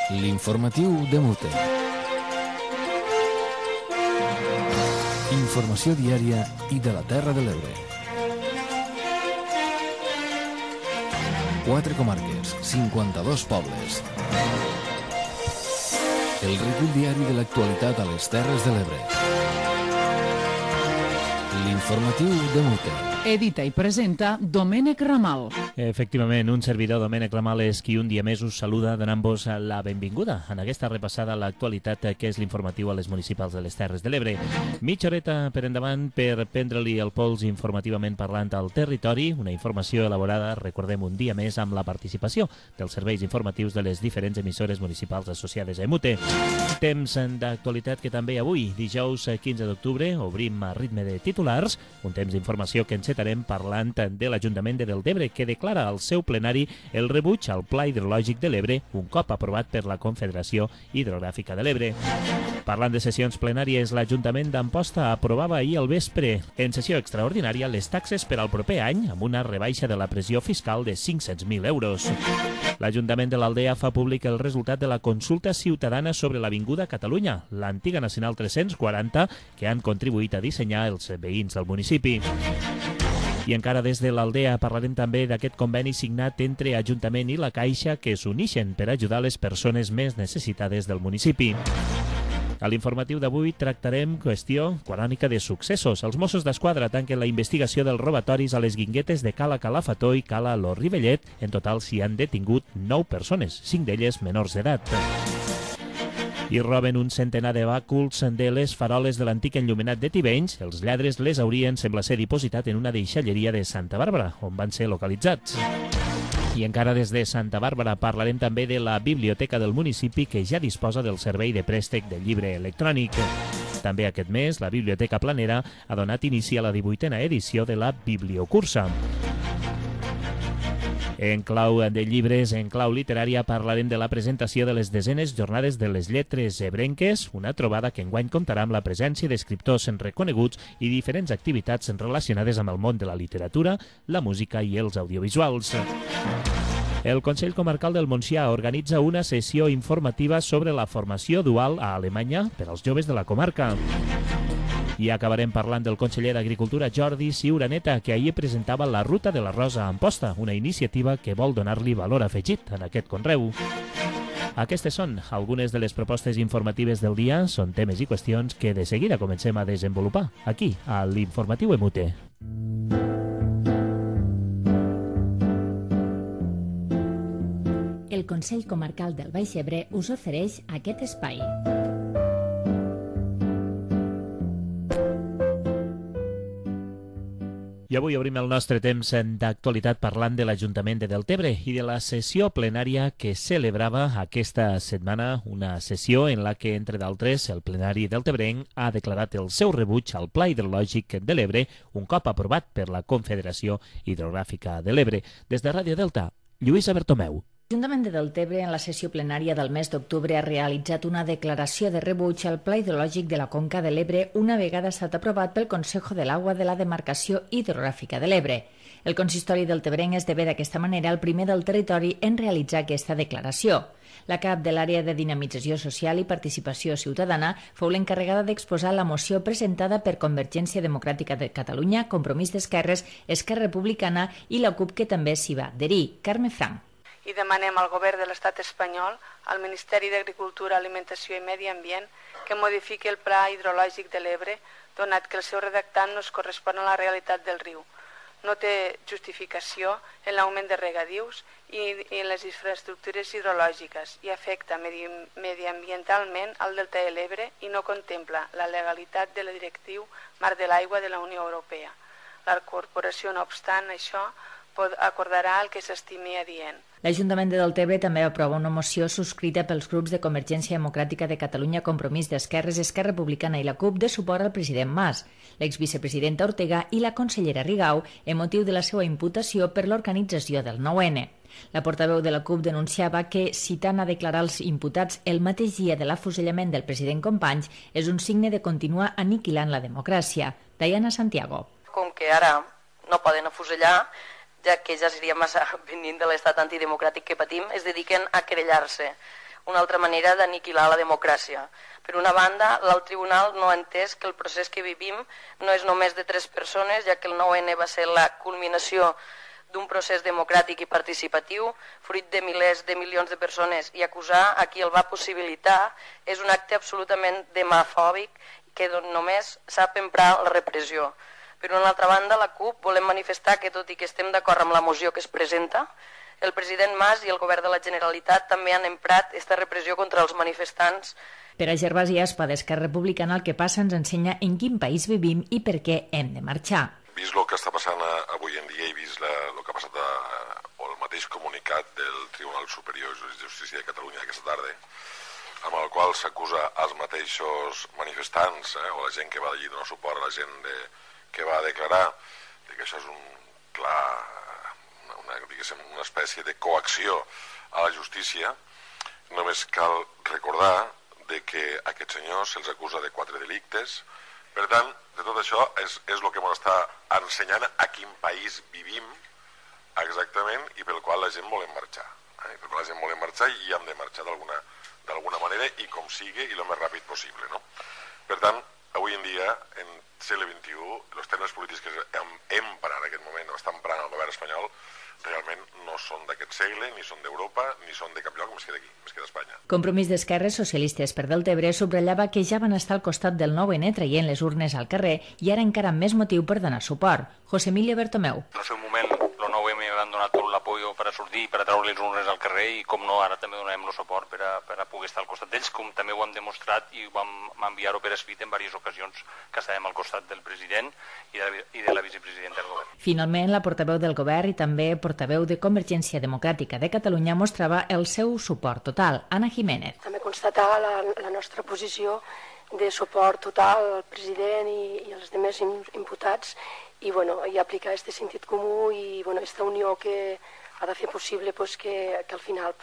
L'informatiu de Mute. Informació diària i de la Terra de l'Ebre. 4 comarques, 52 pobles. El recull diari de l'actualitat a les Terres de l'Ebre. L'informatiu de Mute. Edita i presenta Domènec Ramal. Efectivament, un servidor, Domènec Ramal, és qui un dia més us saluda donant-vos la benvinguda en aquesta repassada a l'actualitat que és l'informatiu a les municipals de les Terres de l'Ebre. Mitja horeta per endavant per prendre-li el pols informativament parlant al territori, una informació elaborada, recordem, un dia més amb la participació dels serveis informatius de les diferents emissores municipals associades a Mute. Temps d'actualitat que també avui, dijous 15 d'octubre, obrim a ritme de titulars, un temps d'informació que encetarem parlant de l'Ajuntament de Deltebre, que declara al seu plenari el rebuig al Pla Hidrològic de l'Ebre, un cop aprovat per la Confederació Hidrogràfica de l'Ebre. Parlant de sessions plenàries, l'Ajuntament d'Amposta aprovava ahir al vespre, en sessió extraordinària, les taxes per al proper any, amb una rebaixa de la pressió fiscal de 500.000 euros. L'Ajuntament de l'Aldea fa públic el resultat de la consulta ciutadana sobre l'Avinguda Catalunya, l'antiga Nacional 340, que han contribuït a dissenyar els veïns del municipi. I encara des de l'Aldea parlarem també d'aquest conveni signat entre Ajuntament i la Caixa que s'unixen per ajudar les persones més necessitades del municipi. A l'informatiu d'avui tractarem qüestió crònica de successos. Els Mossos d'Esquadra tanquen la investigació dels robatoris a les Guinguetes de Cala Calafató i Cala Lo Rivellet. En total s'hi han detingut 9 persones, 5 d'elles menors d'edat. I roben un centenar de bàculs de les faroles de l'antic enllumenat de Tivenys. Els lladres les haurien, sembla ser, dipositat en una deixalleria de Santa Bàrbara, on van ser localitzats. I encara des de Santa Bàrbara parlarem també de la biblioteca del municipi, que ja disposa del servei de préstec del llibre electrònic. També aquest mes, la Biblioteca Planera ha donat inici a la 18a edició de la Bibliocursa. En clau de llibres, en clau literària, parlarem de la presentació de les 10enes Jornades de les Lletres Ebrenques, una trobada que enguany comptarà amb la presència d'escriptors reconeguts i diferents activitats relacionades amb el món de la literatura, la música i els audiovisuals. El Consell Comarcal del Montsià organitza una sessió informativa sobre la formació dual a Alemanya per als joves de la comarca. I acabarem parlant del conseller d'Agricultura Jordi Ciuraneta, que ahir presentava la Ruta de l'arròs a Amposta, una iniciativa que vol donar-li valor afegit en aquest conreu. Aquestes són algunes de les propostes informatives del dia, són temes i qüestions que de seguida comencem a desenvolupar aquí, a l'Informatiu Emute. El Consell Comarcal del Baix Ebre us ofereix aquest espai. I avui obrim el nostre temps d'actualitat parlant de l'Ajuntament de Deltebre i de la sessió plenària que celebrava aquesta setmana, una sessió en la que, entre d'altres, el plenari deltebrenc ha declarat el seu rebuig al Pla Hidrològic de l'Ebre, un cop aprovat per la Confederació Hidrogràfica de l'Ebre. Des de Ràdio Delta, Lluïsa Bertomeu. L'Ajuntament de Deltebre, en la sessió plenària del mes d'octubre, ha realitzat una declaració de rebuig al Pla Hidrològic de la Conca de l'Ebre una vegada ha estat aprovat pel Consejo de l'Agua de la Demarcació Hidrogràfica de l'Ebre. El consistori deltebrenc esdevé d'aquesta manera el primer del territori en realitzar aquesta declaració. La cap de l'àrea de dinamització social i participació ciutadana fou l'encarregada d'exposar la moció presentada per Convergència Democràtica de Catalunya, Compromís d'Esquerres, Esquerra Republicana i la CUP, que també s'hi va adherir. Carme Frank. I demanem al govern de l'Estat espanyol, al Ministeri d'Agricultura, Alimentació i Medi Ambient, que modifiqui el Pla Hidrològic de l'Ebre, donat que el seu redactat no es correspon a la realitat del riu. No té justificació en l'augment de regadius i en les infraestructures hidrològiques i afecta mediambientalment al delta de l'Ebre i no contempla la legalitat de la Directiu Marc de l'Aigua de la Unió Europea. La corporació, no obstant això, acordarà el que s'estimi adient. L'Ajuntament de Deltebre també aprova una moció subscrita pels grups de Convergència Democràtica de Catalunya, Compromís d'Esquerres, Esquerra Republicana i la CUP de suport al president Mas, l'exvicepresidenta Ortega i la consellera Rigau, en motiu de la seva imputació per l'organització del 9N. La portaveu de la CUP denunciava que, citant a declarar els imputats el mateix dia de l'afusellament del president Companys, és un signe de continuar aniquilant la democràcia. Diana Santiago. Com que ara no poden afusellar, ja que ja seria massa venint de l'estat antidemocràtic que patim, es dediquen a querellar-se. una altra manera d'aniquilar la democràcia. Per una banda, l'alt tribunal no ha entès que el procés que vivim no és només de 3 persones, ja que el 9-N va ser la culminació d'un procés democràtic i participatiu, fruit de milers de milions de persones, i acusar a qui el va possibilitar és un acte absolutament demafòbic que només sap emprar la repressió. Per una altra banda, la CUP volem manifestar que, tot i que estem d'acord amb la moció que es presenta, el president Mas i el govern de la Generalitat també han emprat aquesta repressió contra els manifestants. Per a Gervasi Aspa, d'Esquerra Republicana, el que passa ens ensenya en quin país vivim i per què hem de marxar. Vist el que està passant avui en dia i vist el que ha passat o el mateix comunicat del Tribunal Superior de Justícia de Catalunya aquesta tarda, amb el qual s'acusa als mateixos manifestants o la gent que va allí donar suport a la gent que va declarar, que això és una espècie de coacció a la justícia. Només cal recordar que a aquests senyors se'ls acusa de 4 delictes. Per tant, de tot això és el que ens està ensenyant a quin país vivim exactament i pel qual la gent volem marxar. Per qual la gent volem marxar i hem de marxar d'alguna manera i com sigui i el més ràpid possible. Per tant, avui en dia, en segle XXI, els termes polítics que empren en aquest moment o estan emprant el govern espanyol realment no són d'aquest segle, ni són d'Europa, ni són de cap lloc més que d'aquí, més que d'Espanya. Compromís d'Esquerres Socialistes per Deltebre subratllava que ja van estar al costat del 9-N traient les urnes al carrer i ara encara amb més motiu per donar suport. José Emilio Bertomeu. En el seu moment, el 9-M van donar tot l'apoyo per a sortir, per a treure les urnes al carrer i, com no, ara també donarem el suport per a poder estar al costat d'ells, com també ho hem demostrat i vam enviar-ho per escrit en diverses ocasions que estàvem al costat del president i de la vicepresidenta del govern. Finalment, la portaveu del govern i també portaveu de Convergència Democràtica de Catalunya mostrava el seu suport total. Anna Jiménez. També constatar la nostra posició de suport total al president i als altres imputats i aplicar aquest sentit comú i aquesta unió que ha de fer possible que al final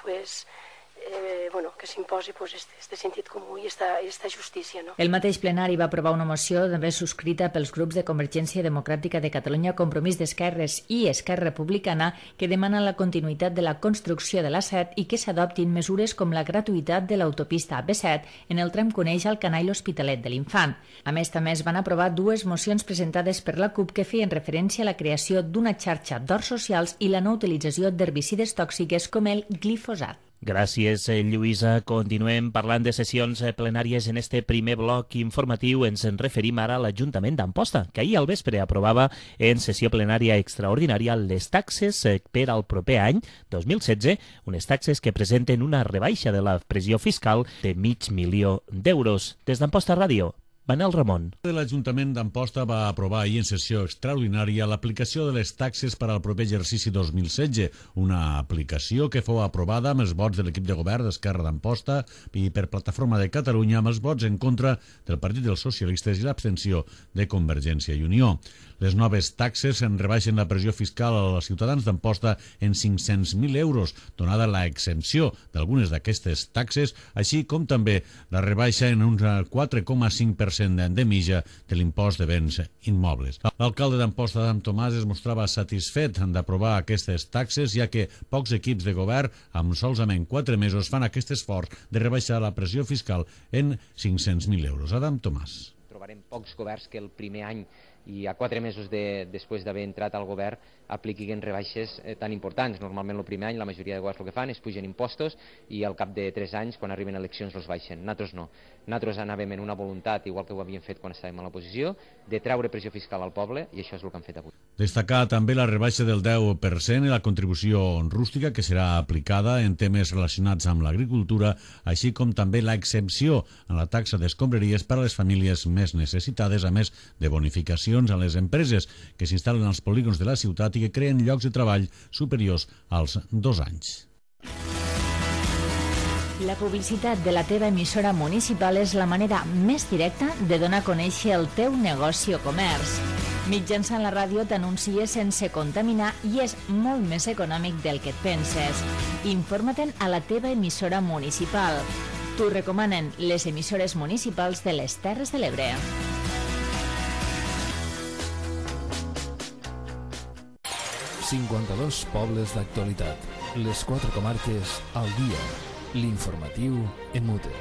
que s'imposi este sentit comú i aquesta justícia. El mateix plenari va aprovar una moció també subscrita pels grups de Convergència Democràtica de Catalunya, Compromís d'Esquerres i Esquerra Republicana que demana la continuïtat de la construcció de l'A7 i que s'adoptin mesures com la gratuïtat de l'autopista B7 en el tram que uneix Alcanar i l'Hospitalet de l'Infant. A més, també es van aprovar 2 mocions presentades per la CUP que feien referència a la creació d'una xarxa d'horts socials i la no utilització d'herbicides tòxiques com el glifosat. Gràcies, Lluïsa. Continuem parlant de sessions plenàries en este primer bloc informatiu. Ens en referim ara a l'Ajuntament d'Amposta, que ahir al vespre aprovava en sessió plenària extraordinària les taxes per al proper any 2016, unes taxes que presenten una rebaixa de la pressió fiscal de $500.000. Des d'Amposta Ràdio, Manel Ramon. L'Ajuntament d'Amposta va aprovar ahir en sessió extraordinària l'aplicació de les taxes per al proper exercici 2016, una aplicació que fou aprovada amb els vots de l'equip de govern d'Esquerra d'Amposta i per Plataforma de Catalunya amb els vots en contra del Partit dels Socialistes i l'abstenció de Convergència i Unió. Les noves taxes en rebaixen la pressió fiscal als ciutadans d'Amposta en €500.000, donada la exempció d'algunes d'aquestes taxes, així com també la rebaixa en un 4,5% de mitja de l'impost de béns immobles. L'alcalde d'Amposta, Adam Tomàs, es mostrava satisfet d'aprovar aquestes taxes, ja que pocs equips de govern, amb solament 4 mesos, fan aquest esforç de rebaixar la pressió fiscal en €500.000. Adam Tomàs. Trobarem pocs governs que el primer any i a 4 mesos després d'haver entrat al govern apliquin rebaixes tan importants. Normalment el primer any la majoria de governs el que fan és pugen impostos i al cap de 3 anys, quan arriben eleccions, els baixen. Nosaltres no. Nosaltres anàvem en una voluntat, igual que ho havíem fet quan estàvem a l'oposició, de treure pressió fiscal al poble i això és el que han fet avui. Destacar també la rebaixa del 10% i la contribució rústica que serà aplicada en temes relacionats amb l'agricultura, així com també la exempció en la taxa d'escombraries per a les famílies més necessitades, a més de bonificacions a les empreses que s'instal·len als polígons de la ciutat i que creen llocs de treball superiors als 2 anys. La publicitat de la teva emissora municipal és la manera més directa de donar a conèixer el teu negoci o comerç. Mitjançant la ràdio t'anuncies sense contaminar i és molt més econòmic del que et penses. Informa-te'n a la teva emissora municipal. T'ho recomanen les emissores municipals de les Terres de l'Ebre. ...52 pobles d'actualitat. Les 4 comarques al dia. L'informatiu en mute.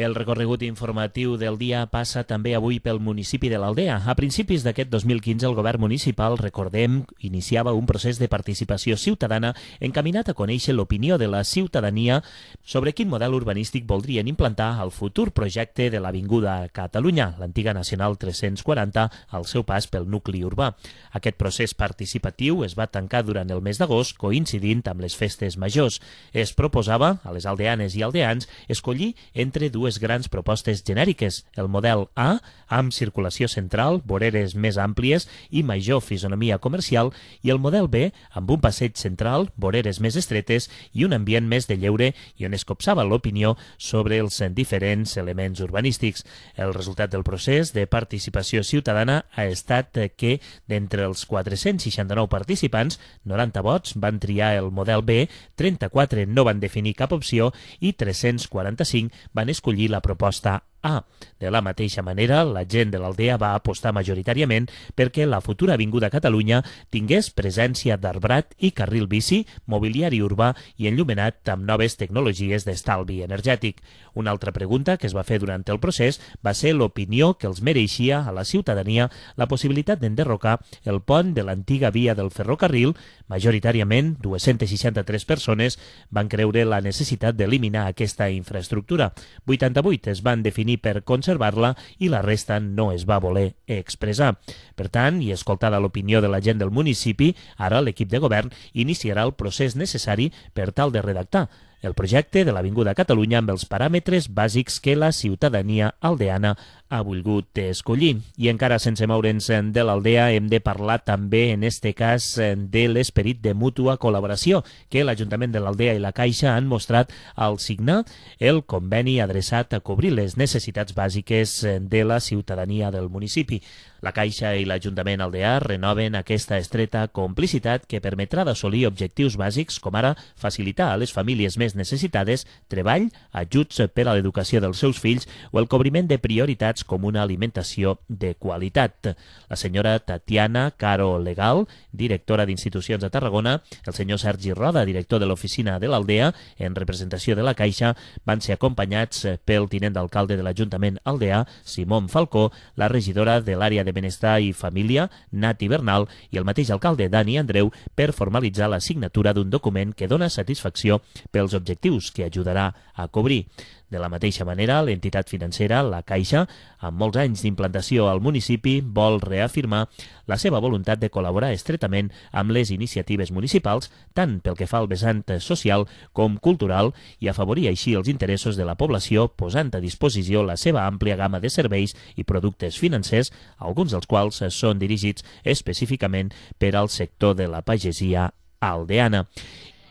El recorregut informatiu del dia passa també avui pel municipi de l'Aldea. A principis d'aquest 2015, el govern municipal, recordem, iniciava un procés de participació ciutadana encaminat a conèixer l'opinió de la ciutadania sobre quin model urbanístic voldrien implantar al futur projecte de l'Avinguda Catalunya, l'antiga Nacional 340, al seu pas pel nucli urbà. Aquest procés participatiu es va tancar durant el mes d'agost, coincidint amb les festes majors. Es proposava a les aldeanes i aldeans escollir entre dues grans propostes genèriques, el model A, amb circulació central, voreres més àmplies i major fisonomia comercial, i el model B, amb un passeig central, voreres més estretes i un ambient més de lleure i on es copsava l'opinió sobre els diferents elements urbanístics. El resultat del procés de participació ciutadana ha estat que, d'entre els 469 participants, 90 vots van triar el model B, 34 no van definir cap opció i 345 van escollir la proposta A. De la mateixa manera, la gent de l'Aldea va apostar majoritàriament perquè la futura Avinguda Catalunya tingués presència d'arbrat i carril bici, mobiliari urbà i enllumenat amb noves tecnologies d'estalvi energètic. Una altra pregunta que es va fer durant el procés va ser l'opinió que els mereixia a la ciutadania la possibilitat d'enderrocar el pont de l'antiga via del ferrocarril. Majoritàriament, 263 persones van creure la necessitat d'eliminar aquesta infraestructura. 88 es van definir per conservar-la i la resta no es va voler expressar. Per tant, i escoltada l'opinió de la gent del municipi, ara l'equip de govern iniciarà el procés necessari per tal de redactar el projecte de l'Avinguda Catalunya amb els paràmetres bàsics que la ciutadania aldeana ha volgut escollir. I encara sense moure'ns de l'Aldea hem de parlar també, en este cas, de l'esperit de mútua col·laboració que l'Ajuntament de l'Aldea i la Caixa han mostrat al signar el conveni adreçat a cobrir les necessitats bàsiques de la ciutadania del municipi. La Caixa i l'Ajuntament aldeà renoven aquesta estreta complicitat que permetrà d'assolir objectius bàsics com ara facilitar a les famílies més necessitades treball, ajuts per a l'educació dels seus fills o el cobriment de prioritats com una alimentació de qualitat. La senyora Tatiana Caro Legal, directora d'Institucions a Tarragona, el senyor Sergi Roda, director de l'oficina de l'Aldea, en representació de la Caixa, van ser acompanyats pel tinent d'alcalde de l'Ajuntament aldeà, Simón Falcó, la regidora de l'àrea de Benestar i Família, Nati Bernal, i el mateix alcalde, Dani Andreu, per formalitzar la signatura d'un document que dona satisfacció pels objectius que ajudarà a cobrir. De la mateixa manera, l'entitat financera, la Caixa, amb molts anys d'implantació al municipi, vol reafirmar la seva voluntat de col·laborar estretament amb les iniciatives municipals, tant pel que fa al vessant social com cultural, i afavorir així els interessos de la població, posant a disposició la seva àmplia gamma de serveis i productes financers, alguns dels quals són dirigits específicament per al sector de la pagesia aldeana.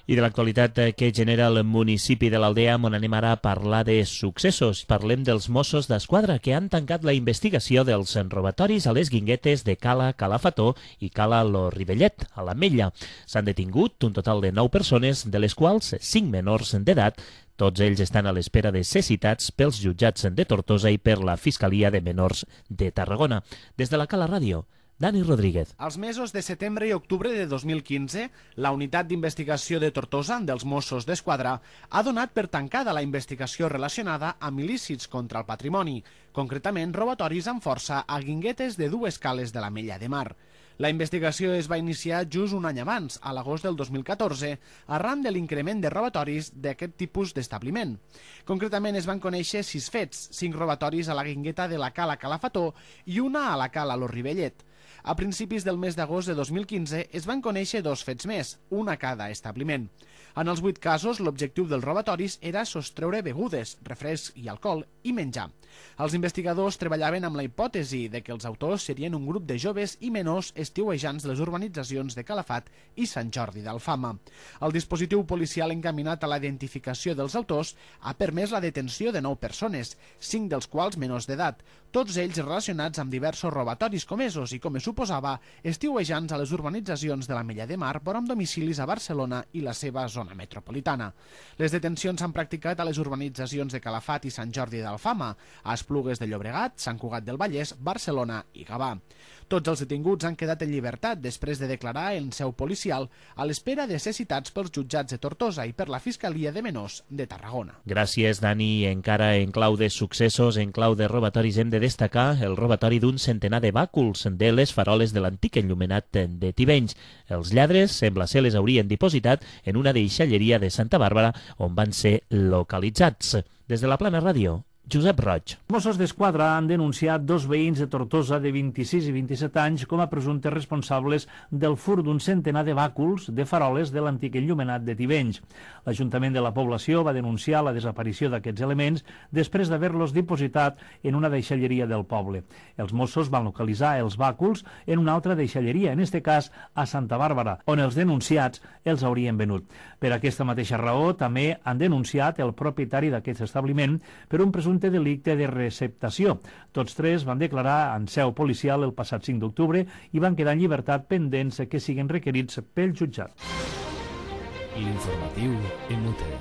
I de l'actualitat que genera el municipi de l'Aldea, on anem ara a parlar de successos. Parlem dels Mossos d'Esquadra, que han tancat la investigació dels robatoris a les Guinguetes de Cala Calafató i Cala Lo Rivellet, a l'Ametlla. S'han detingut un total de 9 persones, de les quals 5 menors d'edat. Tots ells estan a l'espera de ser citats pels jutjats de Tortosa i per la Fiscalia de Menors de Tarragona. Des de la Cala Ràdio, Dani Rodríguez. Als mesos de setembre i octubre de 2015, la unitat d'investigació de Tortosa dels Mossos d'Esquadra ha donat per tancada la investigació relacionada amb il·lícits contra el patrimoni, concretament robatoris amb força a Guinguetes de 2 cales de l'Ametlla de Mar. La investigació es va iniciar just un any abans, a l'agost del 2014, arran de l'increment de robatoris d'aquest tipus d'establiment. Concretament es van conèixer 6 fets, 5 robatoris a la Guingueta de la Cala Calafató i una a la Cala Lo Rivellet. A principis del mes d'agost de 2015 es van conèixer 2 fets més, un a cada establiment. En els 8 casos, l'objectiu dels robatoris era sostreure begudes, refresc i alcohol i menjar. Els investigadors treballaven amb la hipòtesi de que els autors serien un grup de joves i menors estiuejants de les urbanitzacions de Calafat i Sant Jordi d'Alfama. El dispositiu policial encaminat a la identificació dels autors ha permès la detenció de 9 persones, 5 dels quals menors d'edat, tots ells relacionats amb diversos robatoris comesos i com es suposava estiuejants a les urbanitzacions de l'Ametlla de Mar, però amb domicilis a Barcelona i la seva zona metropolitana. Les detencions s'han practicat a les urbanitzacions de Calafat i Sant Jordi d'Alfama, a Esplugues de Llobregat, Sant Cugat del Vallès, Barcelona i Gavà. Tots els detinguts han quedat en llibertat després de declarar en seu policial a l'espera de ser citats pels jutjats de Tortosa i per la Fiscalia de Menors de Tarragona. Gràcies, Dani. Encara en clau de successos, en clau de robatoris, hem de destacar el robatori d'un centenar de bàculs de les faroles de l'antic enllumenat de Tivenys. Els lladres, sembla ser, les haurien dipositat en una deixalleria de Santa Bàrbara on van ser localitzats. Des de la Plana Ràdio, Josep Roig. Els Mossos d'Esquadra han denunciat 2 veïns de Tortosa de 26 i 27 anys com a presumptes responsables del furt d'un centenar de bàculs de faroles de l'antic enllumenat de Tivenys. L'Ajuntament de la població va denunciar la desaparició d'aquests elements després d'haver-los dipositat en una deixalleria del poble. Els Mossos van localitzar els bàculs en una altra deixalleria, en este cas a Santa Bàrbara, on els denunciats els haurien venut. Per aquesta mateixa raó, també han denunciat el propietari d'aquest establiment per un presumpte delicte de receptació. Tots 3 van declarar en seu policial el passat 5 d'octubre i van quedar en llibertat pendents que siguin requerits pel jutjat. L'informatiu en UTE.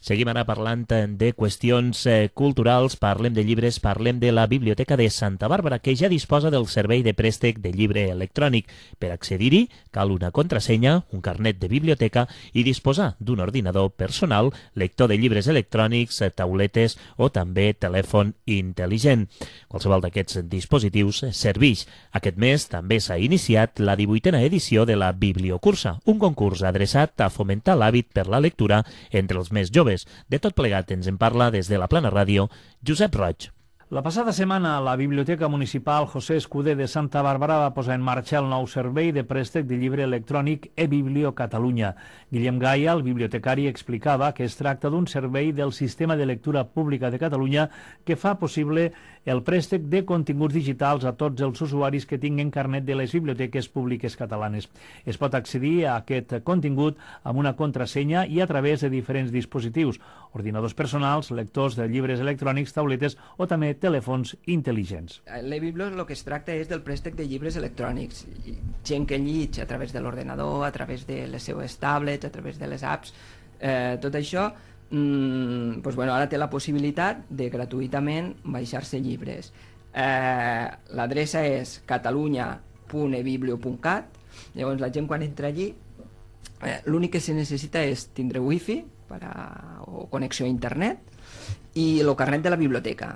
Seguim ara parlant de qüestions culturals, parlem de llibres, parlem de la Biblioteca de Santa Bàrbara, que ja disposa del servei de préstec de llibre electrònic. Per accedir-hi cal una contrasenya, un carnet de biblioteca i disposar d'un ordinador personal, lector de llibres electrònics, tauletes o també telèfon intel·ligent. Qualsevol d'aquests dispositius serveix. Aquest mes també s'ha iniciat la 18a edició de la Bibliocursa, un concurs adreçat a fomentar l'hàbit per la lectura entre els més joves. De tot plegat ens en parla des de la Plana Ràdio, Josep Roig. La passada setmana, la Biblioteca Municipal José Escudé de Santa Bàrbara va posar en marxa el nou servei de préstec de llibre electrònic eBiblio Catalunya. Guillem Gaia, el bibliotecari, explicava que es tracta d'un servei del Sistema de Lectura Pública de Catalunya que fa possible el préstec de continguts digitals a tots els usuaris que tinguin carnet de les biblioteques públiques catalanes. Es pot accedir a aquest contingut amb una contrasenya i a través de diferents dispositius, ordinadors personals, lectors de llibres electrònics, tauletes o també telèfons intel·ligents. L'eBiblio el que es tracta és del préstec de llibres electrònics. Gent que llig a través de l'ordenador, a través de les seues tablets, a través de les apps, tot això ara té la possibilitat de gratuïtament baixar-se llibres. L'adreça és catalunya.ebiblio.cat. Llavors la gent quan entra allí l'únic que se necessita és tindre wifi o connexió a internet i el carnet de la biblioteca.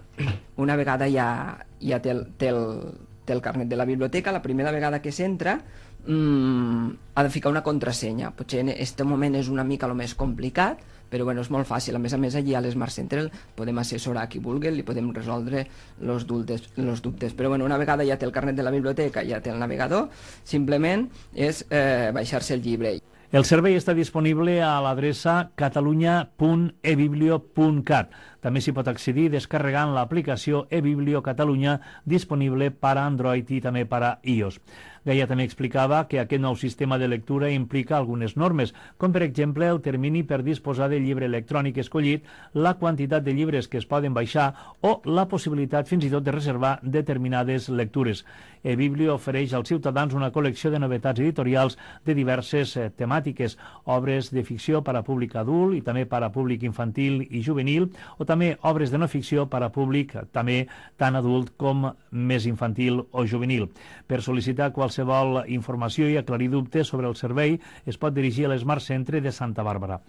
Una vegada ja té el carnet de la biblioteca, la primera vegada que s'entra ha de ficar una contrasenya. Potser en aquest moment és una mica el més complicat, però és molt fàcil. A més, allí a l'Smart Central podem assessorar a qui vulgui, li podem resoldre els dubtes. Però una vegada ja té el carnet de la biblioteca, ja té el navegador, simplement és baixar-se el llibre. El servei està disponible a l'adreça catalunya.ebiblio.cat. També s'hi pot accedir descarregant l'aplicació eBiblio Catalunya disponible per a Android i també per a iOS. Gaia també explicava que aquest nou sistema de lectura implica algunes normes, com per exemple el termini per disposar del llibre electrònic escollit, la quantitat de llibres que es poden baixar o la possibilitat fins i tot de reservar determinades lectures. eBiblio ofereix als ciutadans una col·lecció de novetats editorials de diverses temàtiques, obres de ficció per a públic adult i també per a públic infantil i juvenil, o també obres de no ficció per a públic també tant adult com més infantil o juvenil. Per sol·licitar qualsevol informació i aclarir dubtes sobre el servei es pot dirigir a l'Smart Centre de Santa Bàrbara.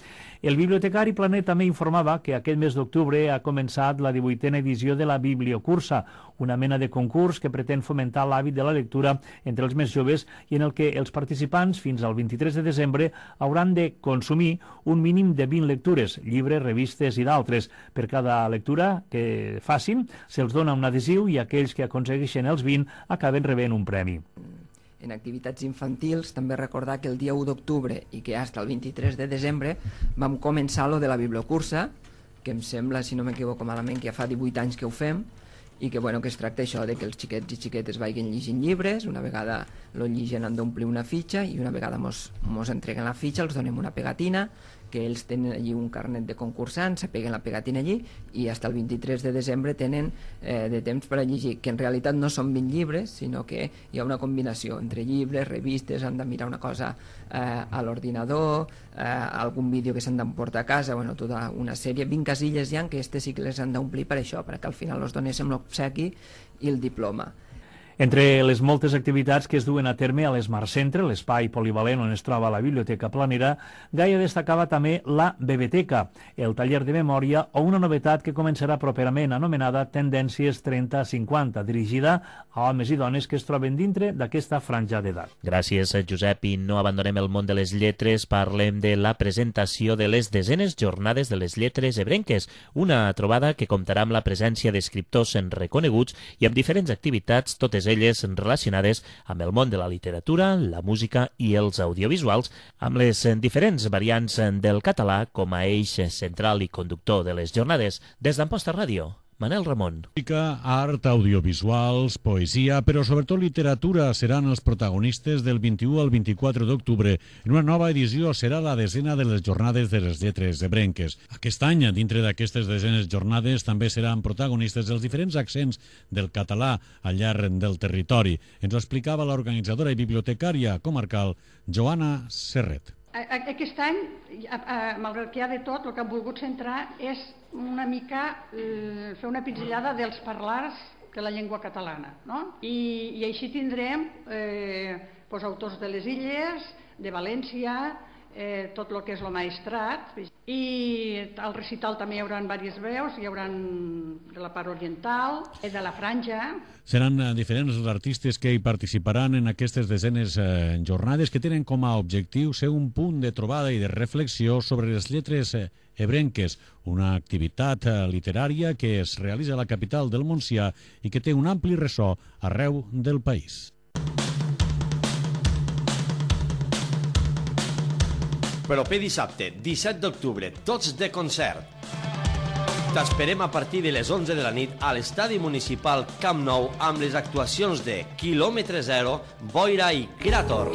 El bibliotecari Planet també informava que aquest mes d'octubre ha començat la 18a edició de la Bibliocursa, una mena de concurs que pretén fomentar l'hàbit de la lectura entre els més joves i en el que els participants fins al 23 de desembre hauran de consumir un mínim de 20 lectures, llibres, revistes i d'altres. Per cada lectura que facin se'ls dona un adhesiu i aquells que aconsegueixen els 20 acaben rebent un premi. En activitats infantils, també recordar que el dia 1 d'octubre i que fins al 23 de desembre vam començar lo de la Bibliocursa, que em sembla, si no m'equivoco malament, que ja fa 18 anys que ho fem, i que es tracta això de que els xiquets i xiquetes vagin llegint llibres, una vegada lo lligen han d'omplir una fitxa i una vegada mos entreguen la fitxa els donem una pegatina que ells tenen allí un carnet de concursant, se peguen la pegatina allí i fins el 23 de desembre tenen de temps per a llegir, que en realitat no són 20 llibres, sinó que hi ha una combinació entre llibres, revistes, han de mirar una cosa a l'ordinador, algun vídeo que s'han d'emportar a casa, bueno, tota una sèrie, 20 casilles hi ha que aquestes sí que les han d'omplir per això, perquè al final els donéssim l'obsequi i el diploma. Entre les moltes activitats que es duen a terme a l'Smart Centre, l'espai polivalent on es troba la Biblioteca Planera, Gaia destacava també la Bebeteca, el taller de memòria o una novetat que començarà properament anomenada Tendències 30-50, dirigida a homes i dones que es troben dintre d'aquesta franja d'edat. Gràcies, Josep, i no abandonem el món de les lletres, parlem de la presentació de les 10enes Jornades de les Lletres Ebrenques, una trobada que comptarà amb la presència d'escriptors reconeguts i amb diferents activitats, totes elles relacionades amb el món de la literatura, la música i els audiovisuals, amb les diferents variants del català com a eix central i conductor de les jornades. Des d'Amposta Ràdio, Manel Ramon. Música, art, audiovisuals, poesia, però sobretot literatura seran els protagonistes del 21 al 24 d'octubre. En una nova edició serà la 10a de les Jornades de les Lletres Ebrenques. Aquest any, dintre d'aquestes 10enes jornades, també seran protagonistes els diferents accents del català al llarg del territori. Ens ho explicava l'organitzadora i bibliotecària comarcal Joana Serret. Aquest any, malgrat que hi ha de tot, el que hem volgut centrar és una mica fer una pinzellada dels parlars de la llengua catalana, no? I així tindrem autors de les Illes, de València, tot el que és el Maestrat, i al recital també hi haurà diverses veus, hi haurà de la part oriental, de la franja. Seran diferents els artistes que hi participaran en aquestes 10enes jornades que tenen com a objectiu ser un punt de trobada i de reflexió sobre les lletres ebrenques, una activitat literària que es realitza a la capital del Montsià i que té un ampli ressò arreu del país. Proper dissabte, 17 d'octubre, tots de concert. T'esperem a partir de les 11 de la nit a l'Estadi Municipal Camp Nou amb les actuacions de Quilòmetre Zero, Boira i Cràtor.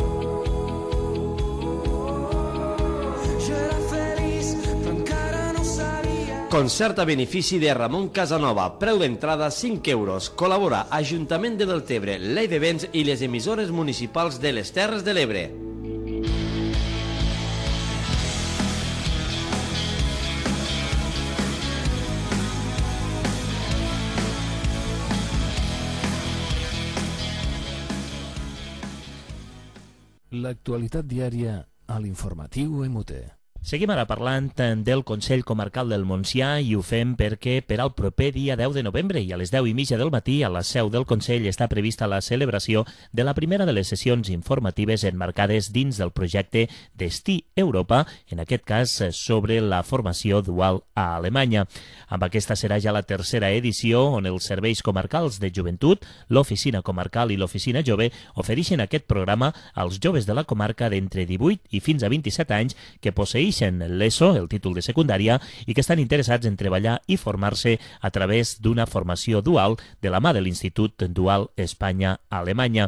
Concert a benefici de Ramon Casanova, preu d'entrada 5 euros. Col·labora Ajuntament de Deltebre, Llei de Béns i les emissores municipals de les Terres de l'Ebre. L'actualitat diària a l'informatiu MUT. Seguim ara parlant del Consell Comarcal del Montsià i ho fem perquè per al proper dia 10 de novembre i a les 10:30 del matí a la seu del Consell està prevista la celebració de la primera de les sessions informatives emmarcades dins del projecte Destí Europa, en aquest cas sobre la formació dual a Alemanya. Amb aquesta serà ja la tercera edició on els serveis comarcals de joventut, l'oficina comarcal i l'oficina jove ofereixen aquest programa als joves de la comarca d'entre 18 i fins a 27 anys que posseeixen l'ESO, el títol de secundària, i que estan interessats en treballar i formar-se a través d'una formació dual de la mà de l'Institut Dual Espanya-Alemanya.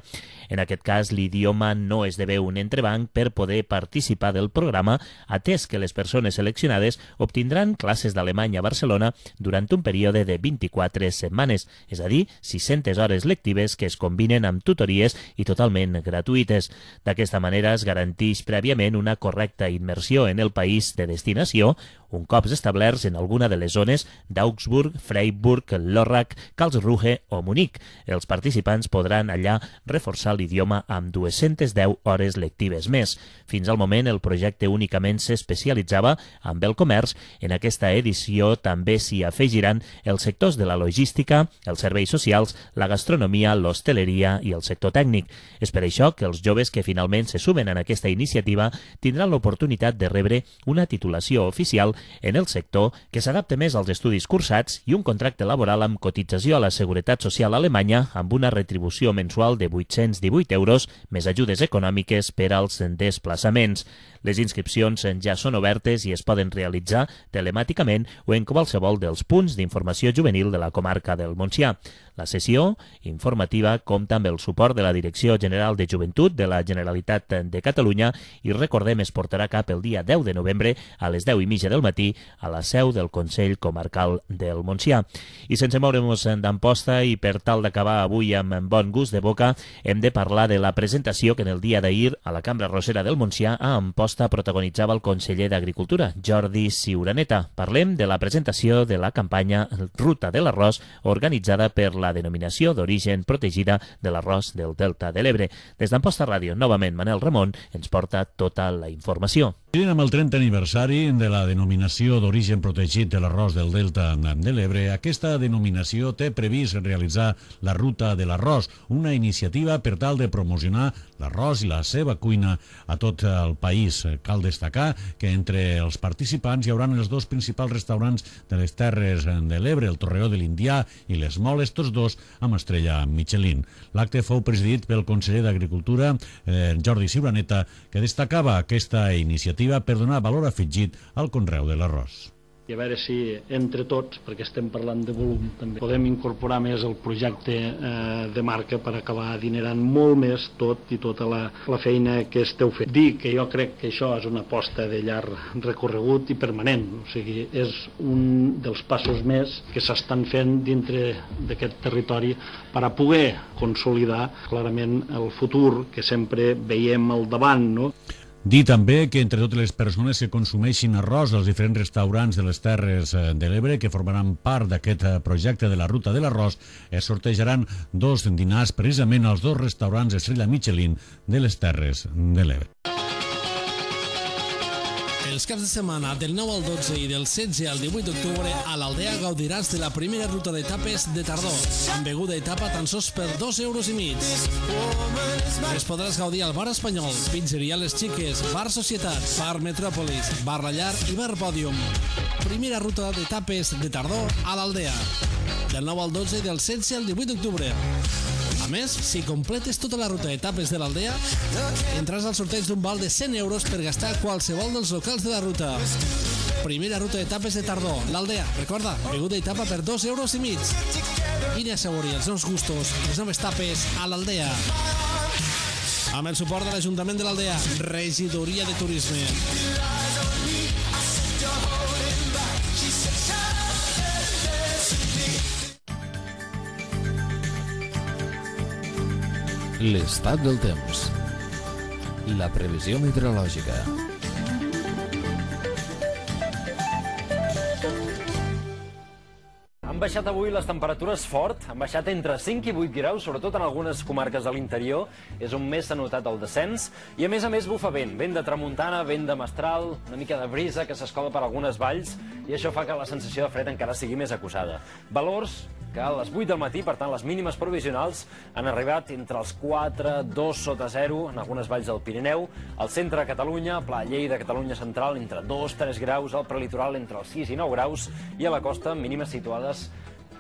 En aquest cas, l'idioma no esdevé un entrebanc per poder participar del programa, atès que les persones seleccionades obtindran classes d'alemany a Barcelona durant un període de 24 setmanes, és a dir, 600 hores lectives que es combinen amb tutories i totalment gratuïtes. D'aquesta manera es garanteix prèviament una correcta immersió en el país de destinació, un cop establerts en alguna de les zones d'Augsburg, Freiburg, Lörrach, Karlsruhe o Munic. Els participants podran allà reforçar l'idioma amb 210 hores lectives més. Fins al moment el projecte únicament s'especialitzava amb el comerç. En aquesta edició també s'hi afegiran els sectors de la logística, els serveis socials, la gastronomia, l'hostaleria i el sector tècnic. És per això que els joves que finalment se sumen en aquesta iniciativa tindran l'oportunitat de rebre una titulació oficial en el sector que s'adapta més als estudis cursats i un contracte laboral amb cotització a la Seguretat Social alemanya amb una retribució mensual de 818 euros més ajudes econòmiques per als desplaçaments. Les inscripcions ja són obertes i es poden realitzar telemàticament o en qualsevol dels punts d'informació juvenil de la comarca del Montsià. La sessió informativa compta amb el suport de la Direcció General de Joventut de la Generalitat de Catalunya i, recordem, es portarà a cap el dia 10 de novembre a les 10:30 del matí a la seu del Consell Comarcal del Montsià. I sense moure'ns d'Amposta i per tal d'acabar avui amb bon gust de boca, hem de parlar de la presentació que en el dia d'ahir a la Cambra Rosera del Montsià a Amposta protagonitzava el conseller d'Agricultura, Jordi Ciuraneta. Parlem de la presentació de la campanya Ruta de l'Arròs organitzada per la denominació d'origen protegida de l'arròs del Delta de l'Ebre. Des d'Amposta Ràdio, novament Manel Ramon ens porta tota la informació. Amb el 30 aniversari de la denominació d'origen protegit de l'arròs del Delta de l'Ebre, aquesta denominació té previst realitzar la Ruta de l'Arròs, una iniciativa per tal de promocionar l'arròs i la seva cuina a tot el país. Cal destacar que entre els participants hi haurà els dos principals restaurants de les Terres de l'Ebre, el Torreó de l'Indià i les Moles, tots dos amb estrella Michelin. L'acte fou presidit pel conseller d'Agricultura, Jordi Ciuraneta, que destacava aquesta iniciativa per donar valor afegit al conreu de l'arròs. I a veure si entre tots, perquè estem parlant de volum també, podem incorporar més el projecte de marca per acabar adinerant molt més tot i tota la feina que esteu fent. Dic que jo crec que això és una aposta de llarg recorregut i permanent, o sigui, és un dels passos més que s'estan fent dintre d'aquest territori per a poder consolidar clarament el futur que sempre veiem al davant, no? Dir també que entre totes les persones que consumeixin arròs als diferents restaurants de les Terres de l'Ebre que formaran part d'aquest projecte de la Ruta de l'Arròs es sortejaran 2 dinars precisament als 2 restaurants estrella Michelin de les Terres de l'Ebre. Els caps de setmana del 9 al 12 i del 16 al 18 d'octubre a l'Aldea gaudiràs de la primera ruta d'etapes de tardor, amb beguda i tapa tan sols per 2,5 €. Es podràs gaudir al Bar Espanyol, Pizzeria Les Xiques, Bar Societat, Bar Metròpolis, Bar La Llar i Bar Pòdium. Primera ruta d'etapes de tardor a l'Aldea, del 9 al 12 i del 16 al 18 d'octubre. A més, si completes tota la ruta d'etapes de l'Aldea, entraràs al sorteig d'un val de 100 € per gastar a qualsevol dels locals de la ruta. Primera ruta d'etapes de tardor, l'Aldea. Recorda, beguda i tapa per 2,5 €. Vine a assaborir els nous gustos i les noves tapes a l'Aldea. Amb el suport de l'Ajuntament de l'Aldea, Regidoria de Turisme. L'estat del temps. La previsió meteorològica. Han baixat avui les temperatures fort, han baixat entre 5 i 8 graus, sobretot en algunes comarques de l'interior. És on més s'ha notat el descens. I a més bufa vent de tramuntana, vent de mestral, una mica de brisa que s'escola per algunes valls, i això fa que la sensació de fred encara sigui més acusada. Valors que a les 8 del matí, per tant les mínimes provisionals, han arribat entre els 4, 2 sota 0 en algunes valls del Pirineu, al centre de Catalunya, Pla Lleida, Catalunya Central, entre 2, 3 graus, al prelitoral entre els 6 i 9 graus, i a la costa mínimes situades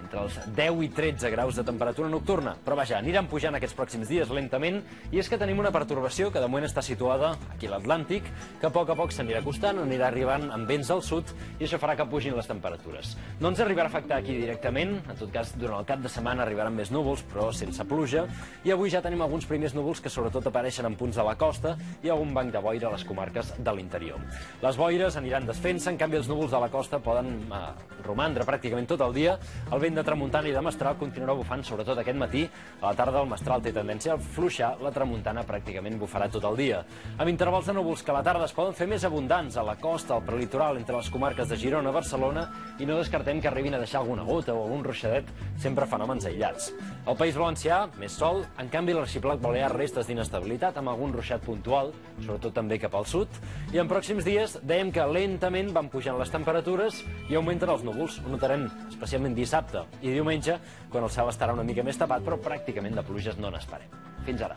entre els 10 i 13 graus de temperatura nocturna. Però vaja, aniran pujant aquests pròxims dies lentament, i és que tenim una pertorbació que de moment està situada aquí a l'Atlàntic, que a poc s'anirà acostant, anirà arribant amb vents al sud, i això farà que pugin les temperatures. No ens arribarà a afectar aquí directament, en tot cas durant el cap de setmana arribaran més núvols, però sense pluja, i avui ja tenim alguns primers núvols que sobretot apareixen en punts de la costa i algun banc de boira a les comarques de l'interior. Les boires aniran desfent-se, en canvi els núvols de la costa poden romandre pràcticament tot el dia. El vent de tramuntana i de mestral continuarà bufant sobretot aquest matí. A la tarda el mestral té tendència a fluixar, la tramuntana pràcticament bufarà tot el dia. Amb intervals de núvols que a la tarda es poden fer més abundants a la costa, al prelitoral, entre les comarques de Girona, Barcelona, i no descartem que arribin a deixar alguna gota o algun ruixadet, sempre fenòmens aïllats. Al País Valencià, més sol, en canvi l'arxipèlag balear restes d'inestabilitat amb algun ruixat puntual, sobretot també cap al sud, i en pròxims dies dèiem que lentament van pujant les temperatures i augmenten els núvols. Ho notarem especialment dissabte i diumenge, quan el cel estarà una mica més tapat, però pràcticament de pluges no n'esperem. Fins ara.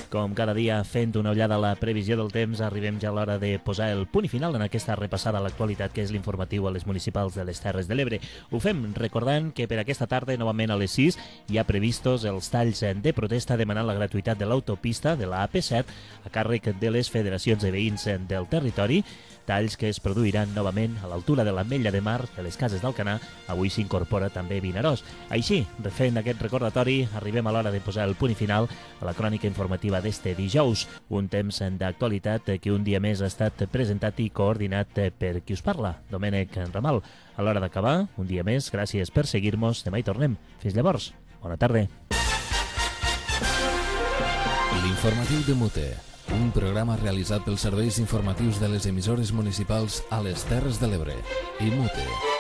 Com cada dia, fent una ullada a la previsió del temps, arribem ja a l'hora de posar el punt i final en aquesta repassada a l'actualitat que és l'informatiu a les municipals de les Terres de l'Ebre. Ho fem recordant que per aquesta tarda, novament a les 6, hi ha previstos els talls de protesta demanant la gratuïtat de l'autopista de la AP7 a càrrec de les federacions de veïns del territori, talls que es produiran novament a l'altura de l'Ametlla de Mar de les Cases d'Alcanar. Avui s'incorpora també Vinaròs. Així, refent aquest recordatori, arribem a l'hora de posar el punt i final a la crònica informativa d'este dijous, un temps d'actualitat que un dia més ha estat presentat i coordinat per qui us parla, Domènec Ramal. A l'hora d'acabar, un dia més, gràcies per seguir-nos. Demà hi tornem. Fins llavors. Bona tarda. L'informatiu de Mute, un programa realitzat pels serveis informatius de les emissores municipals a les Terres de l'Ebre i Mute.